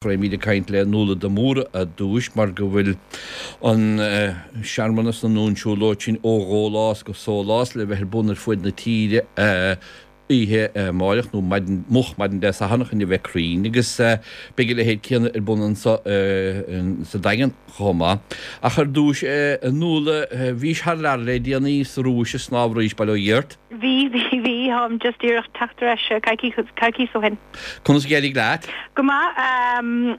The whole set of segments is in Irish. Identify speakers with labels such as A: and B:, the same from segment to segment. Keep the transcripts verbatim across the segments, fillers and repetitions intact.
A: Beimid ag caint le Nuala de Mórdha ar dtús mar go bhfuil an searmanas nó an siúlóid sin ó Dhólás go Sólás le bheith ar bun ar fud na tíre oíche amárach nó maidin moch maidin Dé Sathairn chun a bheith cruinn agus beidh a leithéid céanna ar bun anseo sa Daingean chomh maith. Ach ar dtús a Nuala, bhís thar lear le déanaí sa Rúis ag snámh arís, bail ó Dhia ort.
B: Bhí, bhí, bhí, táim just díreach teacht ar ais coicís, coicís ó shin.
A: Conas a d'éirigh leat?
B: Go maith.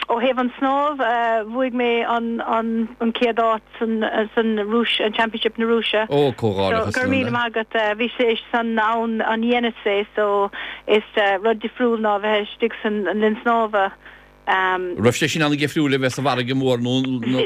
B: Ó thaobh an snámh, bhuaigh mé an, an, an chéad áit san, san Rúis, an Championship na Rúise.
A: Ó, comhghairdeachas
B: So, go raibh míle maith agat. Bhí sé san abhainn an Yenisei so is rud difriúil ná bheith istigh san linn snámha.
A: Raibh sé sin an-difriúil le bheith sa bhfarraige mhór nó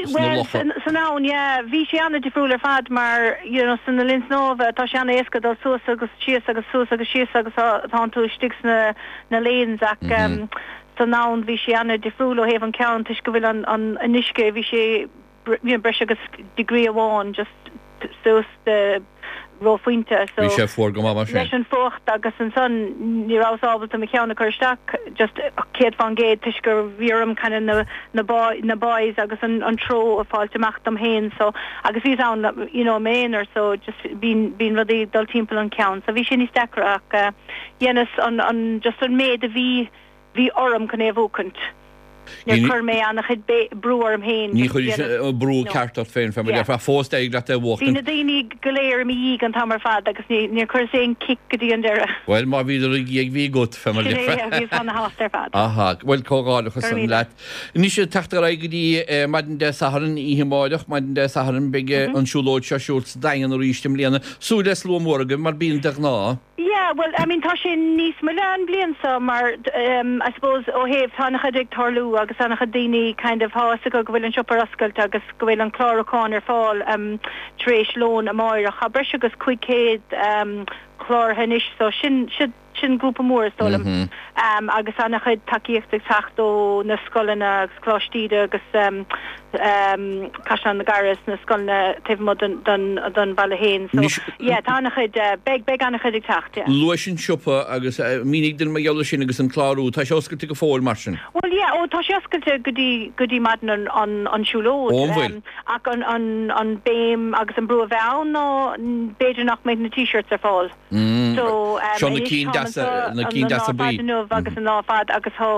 A: sna locha?
B: Bhuel, san abhainn, yeah. Bhí sé an-difriúil ar fad mar, you know, sna linn snámha, tá sé an-éasca dul suas agus síos agus suas agus síos agus tánn tú istigh sna na lanes ach san abhainn bhí sé an-difriúil ó thaobh an ceann toisc go bhfuil an an uisce, bhí sé you know, breis agus degree amháin just suas de reophointe so
A: Bhí sé fuar go maith mar sin.
B: leis an fuacht agus ansan ní rabhas ábalta mo cheann a chur isteach just céad fán gcéad toisc gur bhí orm kind of na na buoy na buoys agus an an treo a fháilt amach dom féin so agus bhíos ann you know m'aonar so just bíonn bíonn rudaí ag dul timpeall an ceann so bhí sé níos deacra ach eh dhéanas an an just an méid a bhí bhí orm chun é a bhuachaint. Níor chuir mé an-chuid brú orm féin.
A: Ní chuir an brú ceart ort féin, fé mar a déarfá. Fós d'éirigh leat é a bhuachtaint.
B: Bhí na daoine go léir i mo dhiaidh an t-am ar fad agus níor chuireas aon cic go dtí an deireadh.
A: Bhuel, má bhíodar id dhiaidh, bhí agat, fé mar a déarfá.
B: Sin é, bhíos ana-shásta ar fad.
A: Aha, bhuel, comhghairdeachas leat. Anois, ag teacht ar aghaidh go dtí maidin Dé Sathairn, oíche amárach, maidin Dé Sathairn, beidh an siúlóid seo ar siúl sa Daingean arís i mbliana. Súil le slua mór agaibh, mar bíonn de ghnáth.
B: Yeah, well, I mean tá sé níos moille an bhliain seo mar um I suppose ó thaobh tá an-chuid ag tarlú agus an-chuid daoine kind of tá fhios acu go bhfuil an siopa ar oscailt agus go bhfuil an clárúchán ar fáil um tar éis lón amáireach. Tá breis agus cúig chéad um cláraithe anois so sin sin sin grúpa mór is dóigh liom um agus an-chuid tacaíocht ag teacht ó na scoileanna agus Coláiste Íde agus um um Caisleán na gCarad sna scoileanna taobh amuigh den den den bhaile féin so
A: Anois,
B: yeah tá an-chuid beidh beidh an-chuid ag teacht yeah.
A: Luais an siopa agus mínigh dúinn mar gheall air sin agus an clárú, tá sé oscailte go fóill mar sin?
B: Bhuel yeah ó tá sé oscailte go dtí go dtí maidin an an an siúlóid
A: Ó an bhfuil?
B: um ach an an an béim agus an brú a bheidh ann ná b'fhéidir nach mbeidh na t-shirts ar fáil. So
A: Seo na
B: anois
A: cinn
B: táim
A: deasa,
B: anseo
A: na
B: an
A: cinn
B: an lá
A: deasa
B: fad
A: buí.
B: inniu agus an lá fad agus tá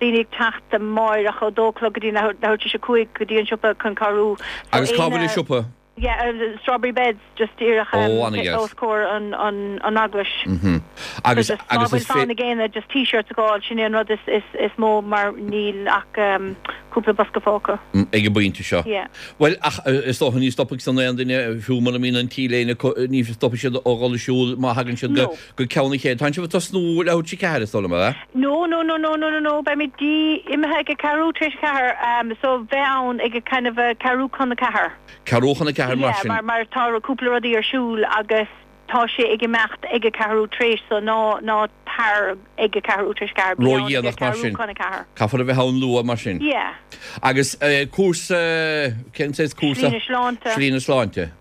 B: daoine ag teacht amáireach ó dó a chlog go dtí leathuair leathuair tar éis a cúig go dtí an siopa chun cabhrú. So
A: Agus cá bhfuil
B: éinne
A: an siopa?
B: yeah Strawberry Beds just díreach
A: Ó,
B: um
A: an-dheas.
B: os comhair an an an eaglais.
A: Mhm.
B: So
A: Agus
B: just má
A: agus
B: bhfuil
A: is fé
B: fonn ag éinne just t-shirts a fháil sin é an rud is is is mó mar níl ach um cúpla bosca fágtha.
A: ag an bpointe seo.
B: Yeah.
A: Bhuel, ach is dócha ní stopfaidh san aon duine, fiú mura mbíonn an T-léine acu, ní stopfaidh siad ó dhul ag siúl má thagann siad go
B: No.
A: go ceann an chéad. Tá sibh ag tosnú leathuair tar éis a ceathair, is dóigh liom, ab ea?
B: No, no, no, no, no, no, no, beimid dí imithe ag a ceathrú tar éis a ceathair, um, so bheith ann ag a kind of a ceathrú chun a ceathair.
A: Ceathrú chun a ceathair mar
B: Yeah,
A: sin.
B: mar mar tá cúpla rudaí ar siúl agus tá sé ag imeacht ag a ceathrú tar éis so ná ná tar ag a ceathrú tar éis a ceathair, bí ann ag a
A: Ródhéanach mar
B: ceathrú
A: sin.
B: chun a ceathair.
A: Caithfear a bheith ann luath mar sin.
B: Yeah.
A: Agus cúrsa, cén saghas cúrsa?
B: Slí na Sláinte.
A: Slí na Sláinte.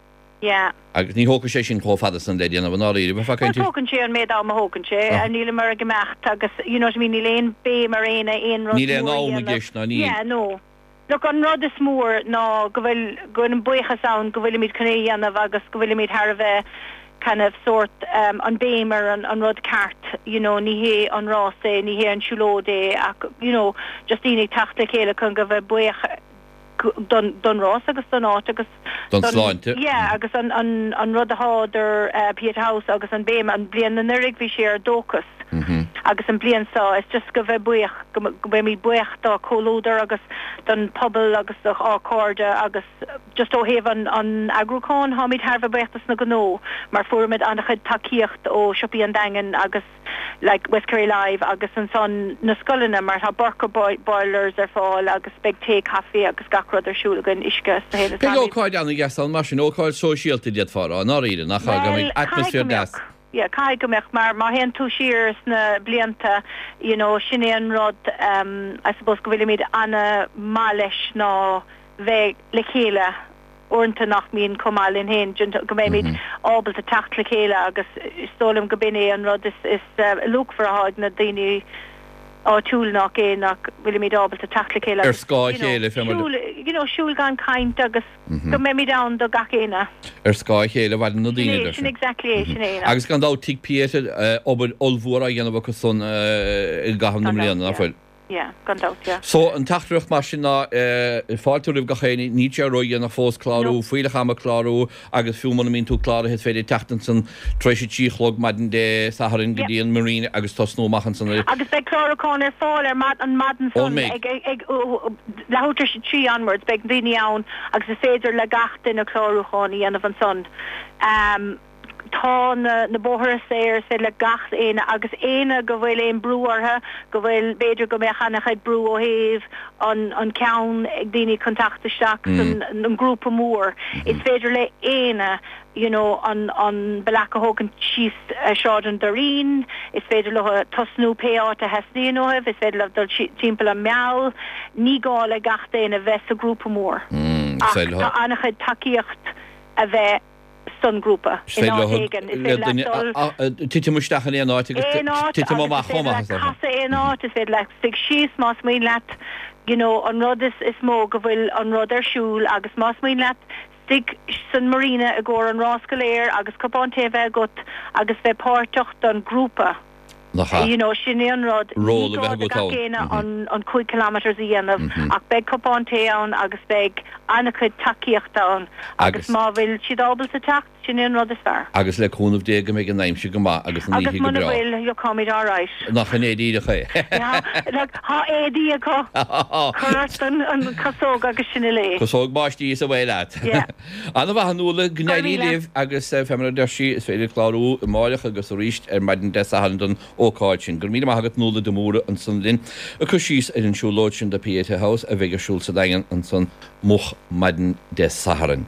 B: Yeah.
A: Agus ní thógfaidh sé sin chomh fada san le déanamh i ndáiríre, bheifeá ag
B: Bhuel
A: caint ar.
B: tógann sé an méid am a thógann sé, níleamar ag imeacht agus you know what I mean níl aon béim ar aon aon rud
A: Níl aon
B: mór a
A: am i
B: dhéanamh.
A: gceist ná níl.
B: Yeah, no. Look, an rud is mór ná go bhfuil, go bhfuil an buíochas ann go bhfuilimid chun é a dhéanamh agus go bhfuilimid thar a bheith kind of sórt um an béim ar an an rud ceart, you know, ní hé an rás é, ní hé an siúlóid é ach, you know, just daoine ag teacht le chéile chun go bheith buíoch don don rás agus don áit agus
A: Don
B: don,
A: sláinte.
B: yeah, agus an an an rud atá idir uh, Pieta House agus an béim, an bliain anuraidh bhí sé ar dóchas. Agus an bliain seo is just go bheith buíoch, go go mbeimid buíoch dá comhluadar agus don pobal agus do ár cairde agus just ó thaobh an an eagrúcháin táimid thar a bheith buíoch dos na gnó mar fuairimid an-chuid tacaíocht ó siopaí an Daingin agus like West Kerry Live agus ansan na scoileanna mar tá Burka boilers ar fáil agus beidh tae caife agus gach rud ar siúl againn uisce sa thaobh is
A: Beidh
B: táimid
A: ócáid an-deas ann mar sin, ócáid sóisialta d'fhéadfá a rá, i ndáiríre, nach ea, go
B: Bhuel
A: mbeidh
B: caithfidh go
A: atmaisféar
B: mbeadh.
A: deas.
B: Yeah, caithfidh go mbeadh mar má théann tú siar sna blianta you know sin é an rud um I suppose go bhfuilimid ana-mhaith leis ná bheith le chéile uaireanta nach mbíonn chomh maith linn féin go mbeimid ábalta teacht le chéile agus is dóigh liom go b'in é an rud is is luachmhar atá ag na daoine áitiúil nach é nach bhfuilimid ábalta teacht le chéile
A: Ar scáth a chéile, fé mar.
B: Siúl, you know, siúl gan caint agus go mbeimid ann do gach éinne.
A: Ar scáth a chéile a mhaireann na
B: Sin
A: daoine,
B: é,
A: deir
B: sin
A: sé.
B: exactly é, sin é.
A: Agus gan dabht Tigh Pieta, obair ollmhór á dhéanamh acu san i gcaitheamh na
B: Gan dabht,
A: mbliana, nach
B: yeah.
A: bhfuil?
B: Yeah, gan dabht, yeah.
A: So, an teachtaireacht mar sin ná, fáilte roimh gach éinne, níl sé ródhéanach fós clárú,
B: No.
A: fuílleach ama clárú agus fiú muna mbíonn tú cláraithe is féidir teacht ansan tar éis a trí a chlog maidin Dé Sathairn go
B: Yeah.
A: dtí an Marina agus tosnú amach ansan ar
B: Agus beidh clárúchán ar fáil ar mad, an maidin
A: Ó,
B: san
A: mbeidh.
B: ag, ag, ag, leathuair tar éis a trí onwards, beidh daoine ann agus is féidir le gach duine clárúchán a dhéanamh ansan. Um, tá na, na bóithre saor, is féidir le gach éinne agus éinne go bhfuil aon brú orthu, go bhfuil b'fhéidir go mbeadh an-chuid brú ó thaobh an, an ceann ag daoine chun teacht isteach san an grúpa mór. Is féidir le éinne you know, an, an bealach a thógaint síos uh, Sráid an Doirín, is féidir leo tosnú pé áit a theastaíonn uaibh, is féidir leo dul timpeall an Meall, ní gá le gach duine bheith sa grúpa mór.
A: Mm,
B: Ach
A: is féidir leo
B: tá an-chuid tacaíocht a bheith san grúpa
A: Is féidir
B: in áit
A: leo
B: éigin. Is
A: le
B: féidir
A: duine
B: leat dul
A: a- a- titim isteach in aon áit agus
B: aon áit
A: titim
B: agus
A: amach
B: is féidir
A: chomh maith,
B: leat
A: is dócha.
B: casadh aon áit, is féidir leat suigh síos más maith leat, you know, an rud is, is mó go bhfuil an rud ar siúl agus más maith leat suigh san marina i gcomhair an rás go léir agus cupán tae bheith agat agus bheith páirteach don grúpa.
A: Nach ea.
B: You know, sin é an rud.
A: Ról
B: Ní
A: a
B: gá
A: bheith
B: do
A: agat
B: gach
A: ann.
B: éinne
A: Mhm.
B: an, an cúig kilometers a dhéanamh
A: Mhm.
B: ach beidh cupán tae ann agus beidh an-chuid tacaíochta ann
A: Agus
B: agus má bhfuil siad ábalta teacht, sin é an rud is fearr.
A: Agus le cúnamh Dé go mbeidh an aimsir go maith agus an
B: Agus
A: oíche go
B: muna
A: breá.
B: bhfuil, you'll all right.
A: Nach in é díreach é.
B: Yeah, like, tá éadaí acu cuir ort an, an casóg agus sin é.
A: Casóg báistí is away leat.
B: Yeah.
A: An-mhaith a Nuala go n-éirí
B: Go raibh míle.
A: libh agus eh, fé mar a deir sí is féidir clárú amárach agus arís ar maidin Dé Sathairn don ócáid sin. Gur míle maith agat Nuala de Mórdha ansan linn ag cur síos ar an siúlóid sin do Pieta House a bheidh ar siúl sa Daingean ansan moch maidin Dé Sathairn.